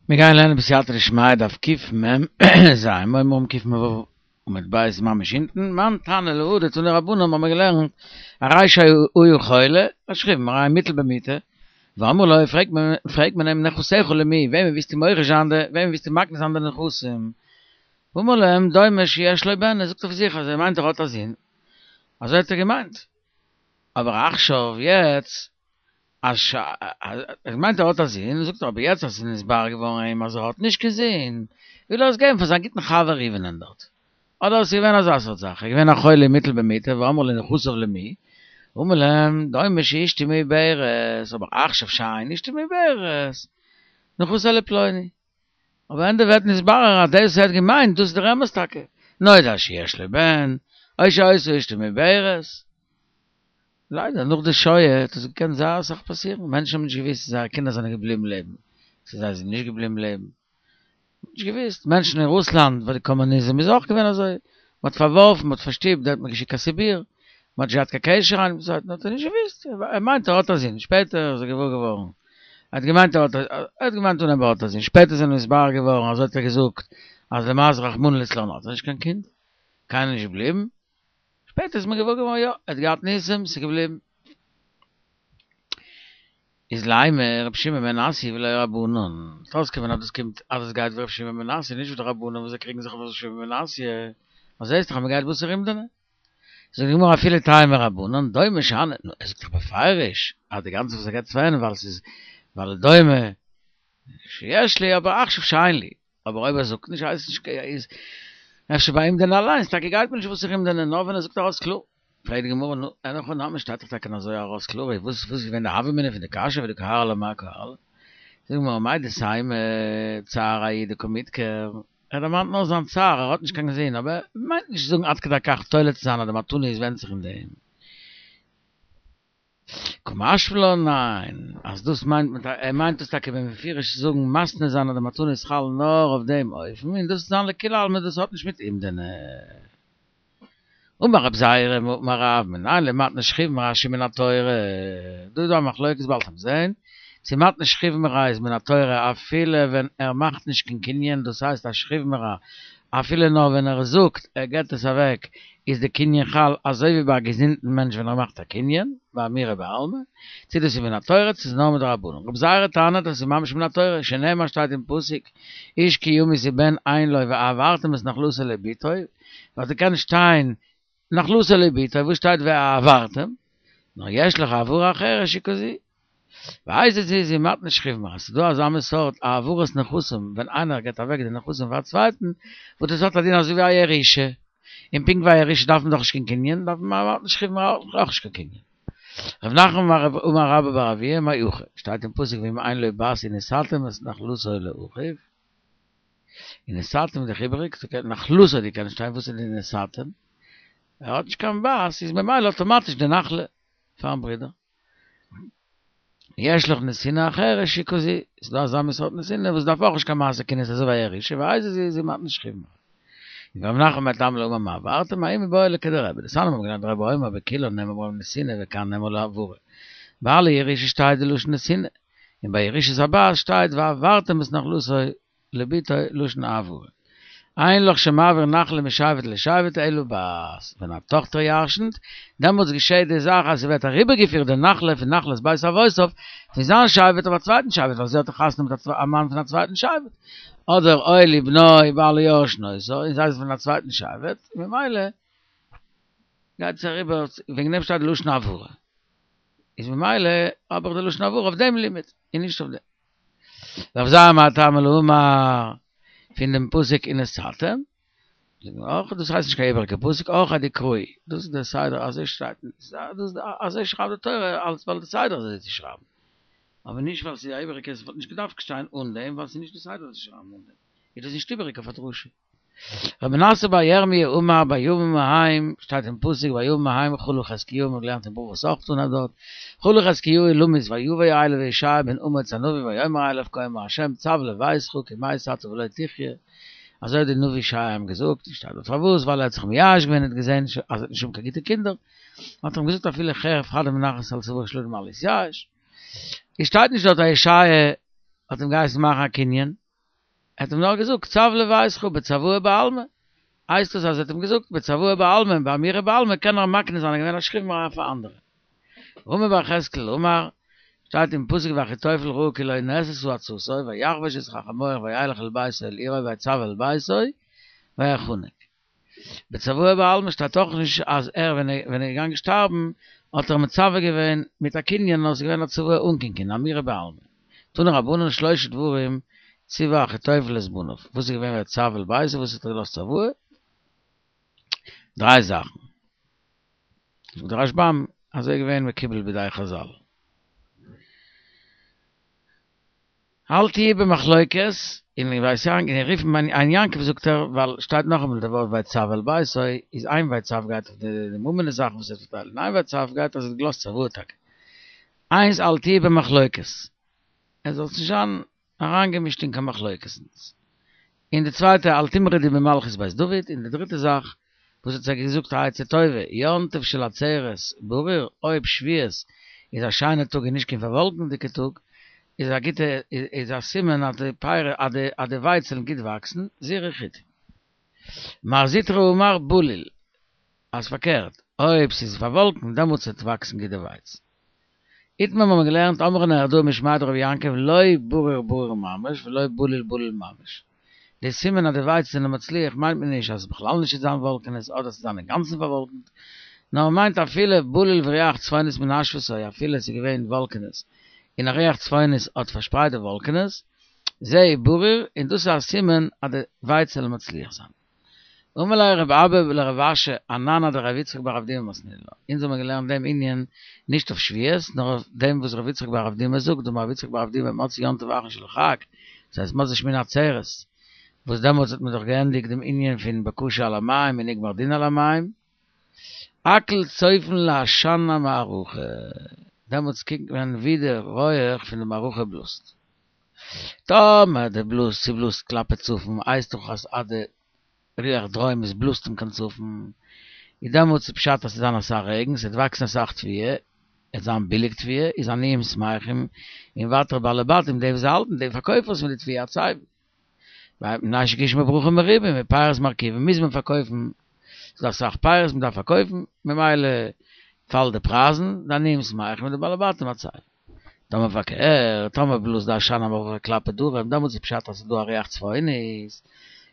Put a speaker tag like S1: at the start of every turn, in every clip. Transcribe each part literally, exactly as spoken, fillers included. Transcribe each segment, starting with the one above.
S1: מיר גייען לערנען בסייעתא דשמיא דף קמ"ז, מורים קמ"ו עמוד ב' ממש אונטן, מאן תנא להא דתנו רבנן האבן מיר געלערנט הרי שהוא חולה, א שכיב מרע מוטל במיטה, ואמרו לו פרעגט מען פרעגט מען אים נכסיך למי, וועמען ווילסטו מוריש זיין די, וועמען ווילסטו מקנה זיין די נכסים, ואמר להם דומה שיש לו בן, ער זאגט אויף זיך אז ער מיינט ער האט א זון, אזוי האט ער געמיינט, אבער עכשיו יעצט אז ער מיינט ער האט א זון, זאגט ער אבער יעצט אז עס איז נתברר געווארן אים אז ער האט נישט קיין זון, וויל ער עס געבן פאר זיין גוטן חבר ראובן'ען דארט. אדער עס איז געווען אזא סארט זאך, ער איז געווען א חולה מוטל במיטה ואמרו לו נכסיו למי, אמר להם דומה שאשתו מעוברת, אבער עכשיו שאין אשתו מעוברת, נכסי לפלוני. אבער ענדע ווערט נתברר אז דאס וואס ער האט געמיינט דאס איז דער אמת טאקע, נודע שיש לו בן, או שהיתה אשתו מעוברת. ליידער נאך די שואה האט עס געקענט זייער אסאך פאסירן, מענטשן האבן נישט געוואוסט צו זייערע קינדער זענען געבליבן לעבן, צו זיי זענען נישט געבליבן לעבן, נישט געוואוסט, מענטשן אין רוסלאנד ביי די קאמוניזם איז אויך געווען אזוי, מען האט פארווארפן, מען האט פארשטופט, די האט מען געשיקט קיין סיביר, מען האט נישט געהאט קיין קשר איינער מיטן צווייטן, האט ער נישט געוואוסט, ער מיינט ער האט א זון, שפעטער איז ער געוואר געווארן, ער האט געמיינט ער האט, ער האט געמיינט אנהייב ער האט א זון, שפעטער איז אים נתברר געווארן, אזוי האט ער געזאגט, אז למעשה רחמנא ליצלן האט ער נישט קיין קינד, קיינער נישט געבליבן, שפעטער איז מען געוואר געווארן יא, ער האט געהאט ניסים, ס'איז געבליבן. איז לימא רבי שמעון בן מנסיא ולא רבנן, אויסקומען אז דאס קומט אז עס גייט ווי רבי שמעון בן מנסיא נישט ווי די רבנן וואס זיי קריגן זיך אויף רבי שמעון בן מנסיא, אז זעסט דאך אז מען גייט בתר אומדנא. זאגט די גמרא אפילו תימא רבנן דומה שאני, נו ער זאגט דאך בפירוש אז די גאנצע וואס ער געבט פאר ווייל ס'איז ווייל דומה שיש לי אבער עכשיו שאין לי, אבער אויב ער זאגט נישט הייסט נישט איז אפשר ביי אומדנא אליינס טאקע גייט מען נישט בתר אומדנא נאר ווען ער זאגט ארויס קלאר. פרעגט די גמרא נו אין הכי נמי שטייט דאך טאקע אזוי ארויס קלאר איז וואס וואס איז געווען די הוה אמינא פון די קשיא ודקא הער לה מאי קא הער לה? זאגט די גמרא מהו דתימא צער ההוא דקא מדכר ער דערמאנט נאר זיין צער ער האט נישט קיין זון אבער ער מיינט נישט צו זאגן עד כדי כך תולה צו זיין אז די מתנה איז ווענדט זיך אין דעם. קא משמע לן ניין, אז דאס מיינט מען ער מיינט דאס טאקע בפירוש צו זאגן מתנה זיין אז די מתנה איז חל נאר אויף דעם אופן און דאס זיין לכולי עלמא דאס האט נישט מיט אומדנא. אמר רב זירא אמר רב מנין למתנת שכיב מרע שהיא מן התורה, דא איז דא א מחלוקת באלד וועט מען זעהן צו מתנת שכיב מרע איז מן התורה אפילו ווען ער מאכט נישט קיין קנין דאס הייסט א שכיב מרע אפילו נאר ווען ער זאגט ער געבט עס אוועק איז די קנין חל אזוי ווי ביי א געזונטן מענטש ווען ער מאכט א קנין, באמירה בעלמא, צו דאס איז מן התורה צו ס'איז נאר מדרבנן. רבי זירא טענה'ט אז ס'איז ממש מן התורה, שנאמר שטייט אין פסוק איש כי ימות ובן אין לו והעברתם את נחלתו לבתו, וואלט געקענט שטיין נחלתו לבתו, וואס שטייט והעברתם? נאר יש לך העברה אחרת שהיא כזו. ואיזו היא זו מתנת שכיב מרע, ס'איז דא אזא מין סארט העברת נכסים ווען איינער געבט אוועק די נכסים פאר א צווייטן, וואס דאס האט א דין אזוי ווי א ירושה, און פונקט ווי א ירושה דארף מען דאך נישט קיין קנין, דארף מען מתנת שכיב מרע אויך נישט קיין קנין. רב נחמן אמר רבה בר אבוה מהכא, שטייט אין פסוק ואם אין לו בת ונתתם את נחלתו לאחיו, ונתתם איז דאך איבעריג, נחלתו די קען שטיין וואס איז די ונתתם? ער האט נישט קיין בת איז ממילא אטאמאטיש די נחלה פארן ברודער. יש לך נתינה אחרת שהיא כזו, ס'איז דא אזא מין סארט נתינה וואס דארף אויך נישט קיין מעשה קנין אזוי ווי א ירושה, ואיזו היא זו מתנת שכיב מרע. ורב נחמן מאי טעמא לא אמר והעברתם ההוא מיבעי ליה לכדרבי, דתניא מ'האט געלערנט רבי אומר בכולן נאמר בהן נתינה וכאן נאמר העברה. ביי אלע ירושות שטייט די לשון נתינה, און ביי ירושת הבת שטייט והעברתם את נחלתו לבתו לשון העברה. אין לך שמעביר נחלה משבט לשבט אלא בת, ווען א טאכטער ירשנ'ט, דעמאלטס געשעהט די זאך אז ס'ווערט אריבערגעפירט די נחלה פון נחלת בית אבותיו פון זיין שבט אויף א צווייטן שבט ווייל זי האט חתונה מיט א מאן פון א צווייטן שבט, אדער או לבנו בעלה יורשין אותה, און זיי זענען פון א צווייטן שבט, ממילא גייט עס אריבער, וועגן דעם שטייט די לשון העברה, איז ממילא האב איך די לשון העברה אויף דעם לימוד און נישט אויף דעם. רב זירא מאי טעמא לא אמר פון דעם פסוק ונתתם, אויך דאס הייסט נישט קיין איבעריגע פסוק אורחיה דקראי, דאס איז דער סדר אזוי שטייט אזוי שרייבט די תורה אלס ווייל די סדר איז אזוי צו שרייבן, אבער נישט ווייל ס'איז א איבעריגע עס וואלט נישט געדארפט שטיין אן דעם ווייל ס'איז נישט די סדר צו שרייבן אן דעם, איז דאס נישט איבעריג אויף א דרשה. רבי מנסיא בר ירמי' אמר בימים ההם, שטייט אין פסוק בימים ההם חלה חזקיהו, מ'האט געלערנט אין ברכות אויך אנהייב דארט, חלה חזקיהו למות ויבא אליו ישעי' בן אמוץ הנביא ויאמר אליו כה אמר ה' צו לביתך כי מת אתה ולא תחיה, אזוי האט די נביא ישעי' אים געזאגט, שטייט דארט פארוואס, ווייל ער האט זיך מייאש געווען און האט געזען אז ער וועט נישט האבן קיין גוטע קינדער, האט ער אים געזאגט אפילו חרב חדה מונחת על צוארו של אדם אל יתייאש, עס שטייט נישט דארט אז ישעי' האט אים געהייסן מאכן א קנין. ער האט אים נאר געזאגט צו לביתך בצוואה בעלמא, הייסט עס אז ער האט אים געזאגט בצוואה בעלמא און באמירה בעלמא קען ער מקנה זיין ער געווען א שכיב מרע פאר אנדערע. רמי בר יחזקאל אמר, שטייט אין פסוק ואחיתופל ראה כי לא נעשתה עצתו ויחבוש את חמורו וילך אל ביתו אל עירו ויצו אל ביתו ויחנק. בצוואה בעלמא שטייט אויך נישט אז ער ווען ער איז געגאנגען שטארבן האט ער מצווה געווען מיט א קנין נאר עס איז געווען א צוואה אן קיין קנין אמירה בעלמא. תנו רבנן שלושה דברים ציווה אחיתופל את בניו, וואס איז געווען ויצו אל ביתו וואס האט ער געלאזט צוואה? דריי זאכן. זאגט דער רשב"ם אזוי איז געווען מקובל בידי חז"ל. אל תהי במחלוקת, אין בית יעקב, אין רופן עין יעקב זאגט ער, ווייל שטייט נאכאמאל די ווארט ויצו אל ביתו, איז איין ויצו גייט אויף די ממונות זאכן וואס ער האט פארטיילט, און איין ויצו גייט אז ער האט געלאזט צוואה טאקע. איינס אל תהי במחלוקת, ער זאל נישט זיין אריינגעמישט אין קיין מחלוקת'ן. און די צווייטע אל תמרדו במלכות בית דוד, און די דריטע זאך וואס האט זיי געזאגט א עצה טובה, יום טוב של עצרת ברור, אויב שבועות איז א שיינע טאג און נישט קיין פארוואלקנדיגע טאג, איז א גוטע איז א סימן אז די פירות אז די אז די ווייץ וועלן גוט וואקסן, זרעו חיטים. מר זוטרא אמר בליל, אז פארקערט, אויב ס'איז פארוואלקנט דעמאלטס וועט וואקסן גוט די ווייץ. איתמר האבן מיר געלערנט אמרה נהרדעא משמיה דרבי יעקב לא ברור ברור ממש ולא בליל בליל ממש. די סימן אז די ווייץ זענען מצליח מיינט מען נישט אז בכלל נישט וועט זיין וואלקענעס אדער ס'וועט זיין אינגאנצן פארוואלקנט, נאר מ'מיינט אפילו בליל ורוח צפונית מנשבתו אפילו ס'איז געווען וואלקענעס און א רוח צפונית האט פארשפרייט די וואלקענעס, זה ברור און דאס איז א סימן אז די ווייץ זאל מצליח זיין. אמר ליה רב אבא לרב אשי אנן אדרב יצחק בר אבדימי מתנינן לה, אונז האבן געלערנט דעם ענין נישט אויף שבועות נאר אויף דעם וואס רב יצחק בר אבדימי זאגט דאמר רב יצחק בר אבדימי מוצאי יום טוב האחרון של החג, דאס הייסט מוצאי שמיני עצרת, וואס דעמאלטס האט מען דאך געענדיגט דעם ענין פון בקשה על המים און נגמר דין על המים, הכל צופין לעשן המערכה, דעמאלטס קוקט מען ווי די רויעך פון די מערכה בלאזט. טאמער די בלאז ס'בלאזט כלפי צפון הייסט דאך אז אז די רוח דרומית בלאזט אים קיין צפון, איז דעמאלטס איז פשט אז ס'וועט זיין אסאך רעגן, ס'וועט וואקסן אסאך תבואה, עט זיין ביליג תבואה, איז עניים שמחים, און ווייטער בעלי בתים די וואס האלטן די פארקויפערס פון די תבואה עצבים. מפני שגשמי ברכה מרובים ופירות מרקיבים מוז מען פארקויפן, ס'איז דא אסאך פירות מ'דארף פארקויפן, ממילא פאלט די פרייזן, די עניים שמחים און די בעלי בתים עצבים. טאמער פארקערט, טאמער בלאזט די עשן המערכה כלפי דרום, דעמאלטס איז פשט אז ס'איז דא א רוח צפונית,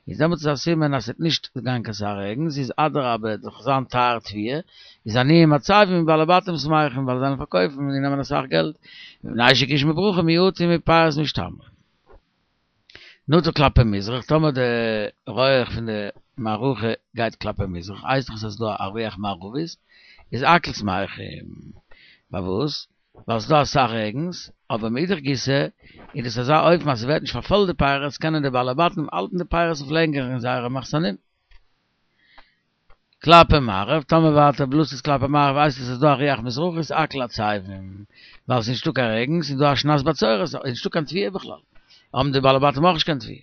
S1: איז דעמאלטס איז א סימן אז ס'וועט נישט גיין קיין סאך רעגן, ס'איז אדרבה וועט דאך זיין טייער תבואה, איז עניים עצבים און בעלי בתים שמחים ווייל זיי וועלן פארקויפן און נעמען אסאך געלט, מפני שגשמי ברכה מועטים ופירות משתמרים. נטה כלפי מזרח, טאמער די רויעך פון די מערכה גייט כלפי מזרח, הייסט דאך אז ס'איז דא א רוח מערבית, איז הכל שמחים. פארוואס? ווייל ס'איז דא אסאך רעגנס, אבער מאידך גיסא איז דאס אזא אופן אז ס'ווערט נישט פארפוילט די פירות, קענען די בעלי בתים האלטן די פירות אויף לענגער אין זייערע מחסנים. כלפי מערב, טאמער ווייטער בלאזט עס כלפי מערב הייסט עס אז ס'איז דא א רוח מזרחית הכל עצבים, ווייל ס'איז נישטא קיין רעגן, ס'איז דא א שנת בצורת, איז נישטא קיין תבואה בכלל, האבן די בעלי בתים אויך נישט קיין תבואה.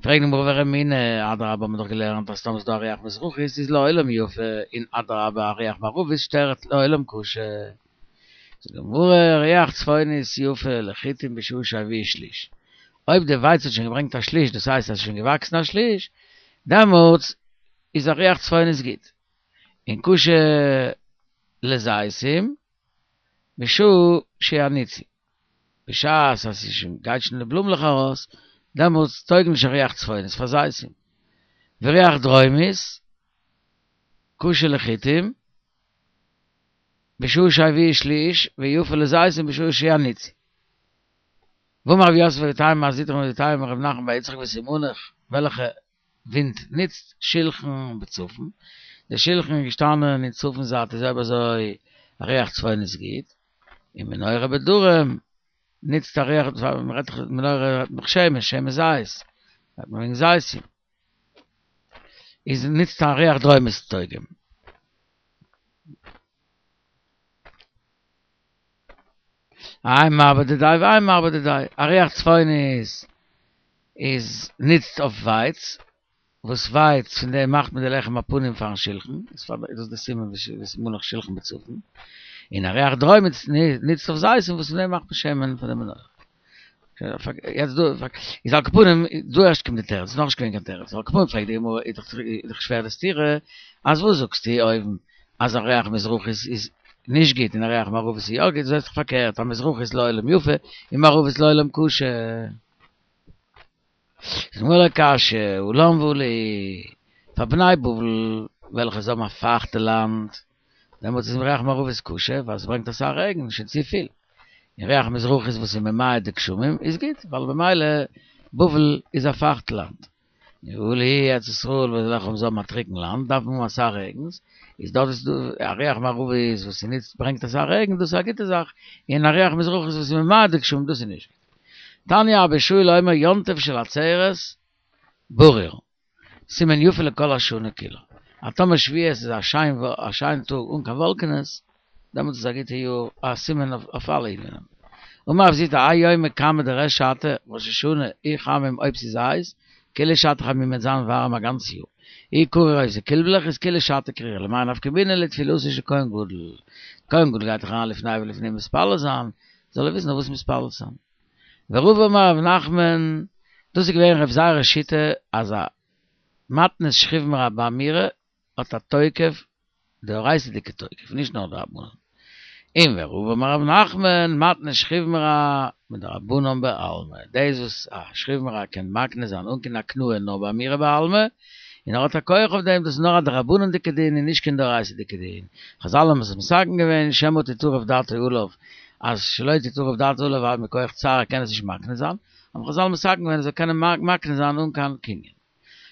S1: פרעגט די גמרא ורמינהי, אדרבה האבן מיר דאך געלערנט אז טאמער ס'איז דא א רוח מזרחית איז לעולם יפה, און אדרבה א רוח מערבית שטערט לעולם קשה. זאגט די גמרא, רוח צפונית יפה לחיטים בשעה שהביאו שליש, אויב די ווייץ האט שוין געברענגט א שליש, דאס הייסט אז עס איז שוין געוואקסן א שליש, דעמאלטס איז א רוח צפונית גוט, און קשה לזיתים בשעה שיניצו, בשעת אז עס איז שוין גייט שוין די בלומלעך ארויס, דעמאלטס טויג נישט א רוח צפונית פאר זיתים, ורוח דרומית קשה לחיטים בשעה שהביאו שליש ויפה לזיתים בשעה שיניצו. ואמר רב יוסף ואיתימא מר זוטרא ואיתימא רב נחמן בר יצחק וסימנך וועלכע ווינט נוצט שולחן בצפון, די שולחן איז געשטאנען אין צפון זייט איז אויב אזוי א רוח צפונית גוט, און מנורה בדרום נוצט א רוח, מ'רעדט דאך מנורה רעדט מען דאך שמן, שמן זית, רעדט מען וועגן זיתים, איז נוצט א רוח דרומית טויג אים. האי מרבה דידיה והאי מרבה דידיה, א רוח צפונית איז נוצט אויף ווייץ, וואס ווייץ פון דעם מאכט מען די לחם הפנים פארן שלחן, איז פאר דאס איז די סימן וסימנך שלחן בצפון, און א רוח דרומית נוצט אויף זיתים וואס פון דעם מאכט מען שמן פאר די מנורה. יעצט דא, איז על כל פנים, דא ערשט קומט די תירוץ, נאכנישט געווען קיין תירוץ, על כל פנים פרעגט די גמרא, איז דאך שווער די סתירה, אז וואס זאגסטו אויבן אז א ריח מזרחית איז נישט גוט און א ריח מערבית איז יא גוט, זעסט דאך פארקערט, א מזרחית לעולם יפה און מערבית לעולם קשה. זאגט די גמרא לא קשיא, הא לן והא להו, פאר בני בבל וועלכע זיי האבן א פייכטע לאנד, דעמאלטס איז ריח מערבית קשה ווייל ס'ברענגט אסאך רעגן, שוין צופיל. און ריח מזרחית וואס איז ממעט די גשמים איז גוט, ווייל במילא בבל איז א פייכט לאנד. און הא להו ארץ ישראל וועלכע זיי האבן א טרוקן לאנד דארף מען האבן אסאך רעגנס, איז דארט איז דא א ריח מערבית וואס איז נישט ברענגט אסאך רעגן דאס איז א גוטע זאך, און א ריח מזרחית וואס איז ממעט די גשמים דאס איז נישט גוט. תניא אבא שאול אומר יום טוב של עצרת ברור, סימן יפה לכל השנה כולה. אז טאמער שבועות איז א שיין א שיין טאג אן קיין וואלקענעס, דעמאלטס איז א גוטע יאר, א סימן אויף אלע ענינים. אמר רב זוטרא האי יומא כמה דריש שתא, ראש השנה, אי חמים אויב ס'איז הייס, כולא שתא חמימא וועט זיין ווארעם א גאנץ יאר. אי קריר אויב ס'איז קילבלעך איז כולא שתא קרירא, למאי נפקא מינה לתפילתו של כהן גדול. כהן גדול גייט דאך אריין לפני ולפנים מתפלל זיין, זאל ער וויסן אויף וואס מתפלל זיין. ורבא אמר רב נחמן, דאס איז געווען רב זירא'ס שיטה אז א מתנת שכיב מרע באמירה האט א תוקף, דאורייתא'דיגע תוקף, נישט נאר דרבנן. און ורבא אמר רב נחמן, מתנת שכיב מרע מדרבנן בעלמא, דאס וואס א שכיב מרע קען מקנה זיין אן קיין הקנאה נאר באמירה בעלמא, און ער האט א כח אויף דעם, דאס איז נאר א דרבנן'דיגע דין און נישט קיין דאורייתא'דיגע דין. חזל האבן עס מתקן געווען, שמא תטרף דעתו עליו, אז שלא תטרף דעתו עליו ווייל מכח צער ער קען עס נישט מקנה זיין, האבן חזל מתקן געווען ער זאל קענען מקנה זיין אן קיין קנין.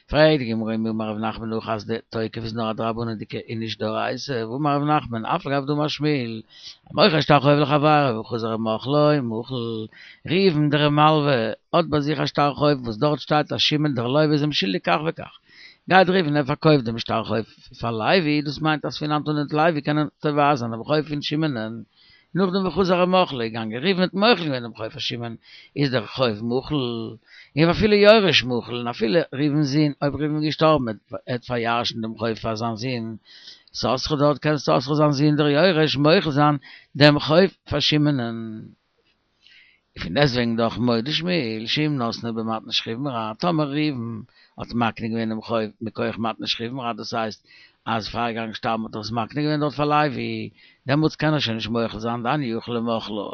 S1: פרעגט די גמרא מי אמר רב נחמן הכי אז די תוקף איז נאר א דרבנן'דיגע און נישט דאורייתא, והאמר רב נחמן אף על גב דאמר שמואל, המוכר שטר חוב לחבירו וחזר ומחלו מחול, ראובן דער מלווה האט ביי זיך א שטר חוב וואס דארט שטייט אז שמעון דער לווה איז אים שולדיג כך וכך, גייט ראובן ער פארקויפט דעם שטר חוב פאר לוי, דאס מיינט אז פון היינט אן וועט לוי קענען תובע זיין דעם חוב פון שמעונ'ען, נאכדעם וחזר ומחלו איז געגאנגען ראובן האט מוחל געווען דעם חוב פאר שמעון, איז דער חוב מחול, און ואפילו יורש מחול, און אפילו ראובן'ס זון, אויב ראובן איז געשטארבן ער וועט פארירש'ן דעם חוב פאר זיין זון, יששכר דארט קען יששכר זיין זון דער יורש מוחל זיין דעם חוב פאר שמעונ'ען. פון דעסטוועגן דאך מודה שמואל שאם נתנו במתנת שכיב מרע, טאמער ראובן האט מקנה געווען דעם חוב מכח מתנת שכיב מרע, דאס הייסט אז פאר ער געגאנגען שטארבן האט ער עס מקנה געווען דארט פאר לוי, דעמאלטס קען ער שוין נישט מוחל זיין דאינו יכול למחלו.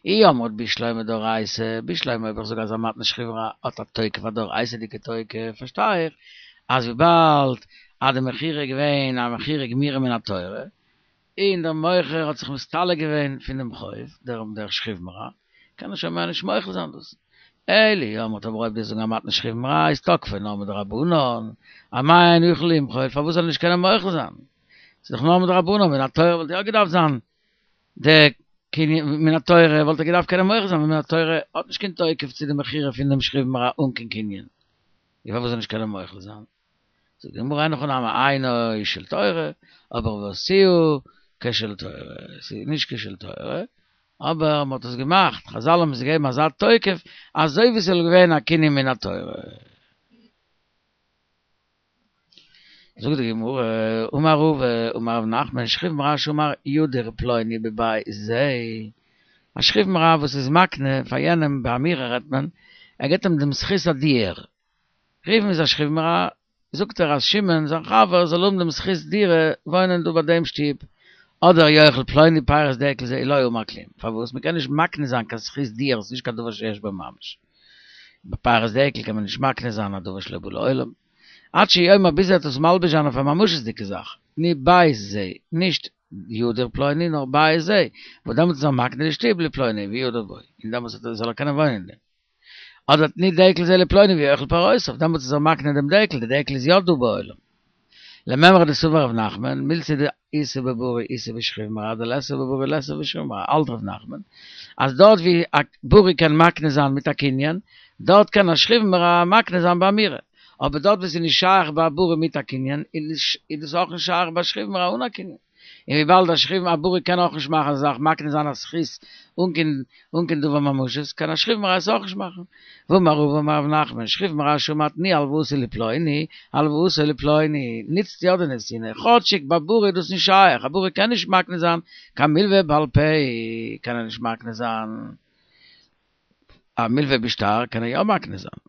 S1: אי אמרת בשלמא דאורייתא, בשלמא אויב איך זאג אז א מתנת שכיב מרע האט א תוקף א דאורייתא'דיגע תוקף, פארשטיי איך אז וויבאלד אז די מכירה איז געווען א מכירה גמירה מן התורה, און דער מוכר האט זיך מסתלק געווען פון דעם חוב, דער דער שכיב מרע, קען ער שוין מער נישט מוחל זיין דאס. אלא אי אמרת אבער אויב דו זאגן א מתנת שכיב מרע איז תקפו נאר מדרבנן, אמאי אינו יכול למחול, פארוואס זאל ער נישט קענען מוחל זיין? ס'איז דאך נאר מדרבנן, מן התורה וואלט יא געדארפט זיין די קנין, מן התורה וואלט ער געדארפט קענען מוחל זיין, ווייל מן התורה האט נישט קיין תוקף צו די מכירה פון דעם שכיב מרע אן קיין קנין, איז פארוואס זאל ער נישט קענען מוחל זיין? זאגט די גמרא אין הכי נמי אינו של תורה, אבער ועשאוהו כשל תורה, ס'איז נישט כשל תורה, אבער מ'האט עס געמאכט, חזל האבן עס געגעבן אזא תוקף, אזוי ווי ס'זאל געווען א קנין מן התורה. זאגט די גמרא, אמר רבא, אמר רב נחמן, שכיב מרע שאמר ידיר פלוני בבית זה, א שכיב מרע וואס איז מקנה פאר יענעם באמירה רעדט מען, ער געבט אים דעם זכות הדיור, ראובן איז א שכיב מרע, זאגט ער אז שמעון זיין חבר זאל האבן דעם זכות דירה וואוינען דא ביי דעם שטוב, אדער יאכל פלוני פירות דקל זה לא אמר כלום, פארוואס? מען קען נישט מקנה זיין קיין זכות דירה, ס'איז נישט קיין דבר שיש בו ממש. ביי פירות דקל קען מען נישט מקנה זיין א דבר שלא בא לעולם. עד שיאמר ביז ער וועט עס מלביש זיין אויף א ממשות'דיגע זאך, תנו בית זה, נישט ידיר פלוני נאר בית זה, וואס דעמאלטס איז ער מקנה די שטוב לפלוני וידור בו, און דעמאלטס זאל ער קענען וואוינען אין דעם. אדער תנו דקל זה לפלוני ויאכל פירותיו, דעמאלטס איז ער מקנה דעם דקל, די דקל איז יא דא בעולם. למימרא דסבר רב נחמן, מילתא דאיתא בבריא איתא בשכיב מרע דליתא בבריא ליתא בשכיב מרע, האלט רב נחמן אז דארט ווי א בריא קען מקנה זיין מיט א קנין, דארט קען א שכיב מרע מקנה זיין באמירה, אבער דארט ווי ס'איז נישט שייך ביי א בריא מיט א קנין, איז דאס אויך נישט שייך ביי שכיב מרע אן א קנין. און וויבאלד א שכיב א ברי קען אויך נישט מאכן אזא זאך, מקנה זיין א זכות אן קיין אן קיין דבר ממשית, קען א שכיב מרע עס אויך נישט מאכן. ואמר רבא אמר רב נחמן, שכיב מרע שאמר תנו הלוואתי לפלוני, הלוואתו לפלוני, ניצט יא די נתינה, כאטשיג ביי ברי איז דאס נישט שייך, א ברי קען נישט מקנה זיין קיין מלווה בעל פה, קען ער נישט מקנה זיין א מלווה בשטר קען ער יא מקנה זיין,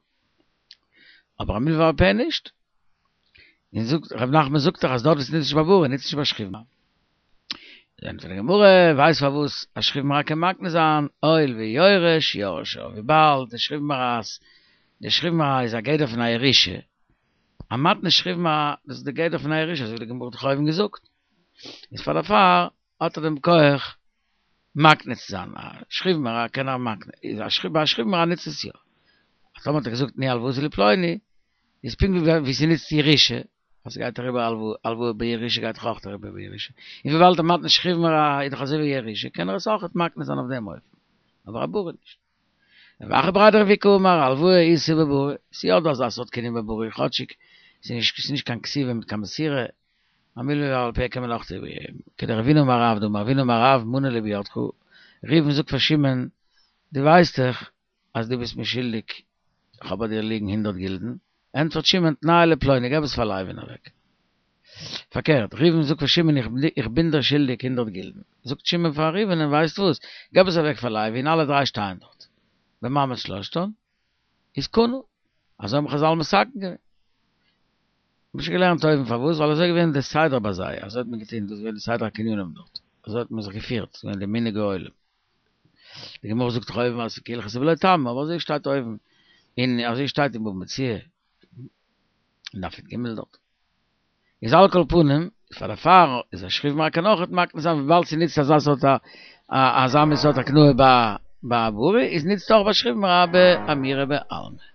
S1: אבער א מלווה בעל פה נישט. און זאגט, רב נחמן זאגט דאך אז דארט וואו ס'ניצט נישט ביי ברי, ניצט נישט ביי שכיב מרע. ענטפערט די גמרא, ווייסט פארוואס א שכיב מרע קען מקנה זיין, הואיל ויורש יורשיו, וויבאלד די שכיב מרע'ס, די שכיב מרע איז א גדר פון א ירושה, א מתנת שכיב מרע, דאס איז די גדר פון א ירושה, אזוי ווי די גמרא האט דאך אויבן געזאגט, איז פאר דערפאר האט ער דעם כח מקנה צו זיין, א שכיב מרע קען ער מקנה, איז א שכיב, ביי א שכיב מרע נוצט עס יא. אז טאמער האט ער געזאגט תנו הלוואתי לפלוני, איז פונקט ווי ס'נוצט ירושה, אז ס'גייט אריבער הלוואה, הלוואה בירושה גייט דאך אויך אריבער בירושה, און וויבאלד א מתנת שכיב מרע איז דאך אזוי ווי ירושה, קען ער עס אויכעט מקנה זיין אויף דעם אופן, אבער א ברי נישט. רב אחא בריה דרב איקא אמר הלוואה איתא בברי, ס'איז יא דא אזא סארט קנין בברי, כאטשיג ס'איז נישט קיין כתיבה מיט קיין מסירה, א מלווה בעל פה קען מען אויך איבערגעבן, כדרבינא אמר רב דאמר רבינא אמר רב מנה לי בידך, ראובן זאגט פאר שמעון, דו ווייסט דאך אז דו ביסט מיר שולדיג, איך האב ביי דיר ליגן הונדערט גילדן, ענטפערט שמעון תנהו לפלוני, געב עס פאר לוי'ן אוועק. פארקערט, ראובן זאגט פאר שמעון איך בין דיר שולדיג הונדערט גילדן, זאגט שמעון פאר ראובן'ען ווייסט וואס, געב עס אוועק פאר לוי'ן אלע דריי שטייען דארט, במעמד שלשתן איז קנה, אזוי האבן חזל מתקן געווען. מ'האט שוין געלערנט אויבן פארוואס, ווייל אזוי איז געווען די סדר ביי זיי, אזוי האט מען געטון, דאס איז געווען די סדר הקנינים דארט, אזוי האט מען זיך געפירט, ס'איז געווען די מנהג העולם. די גמרא זאגט דאך אויבן אז ס'איז כהלכתא ולא טעמא, אבער אזוי שטייט אויבן, און אזוי שטייט אין בבא מציעא, אין דף י"ג דארט. איז על כל פנים, פאר דערפאר איז א שכיב מרע קען אויכעט מקנה זיין וויבאלד ס'ניצט אזא סארט א אזא מין סארט הקנאה ביי א ברי, איז ניצט אויך ביי שכיב מרע באמירה בעלמא.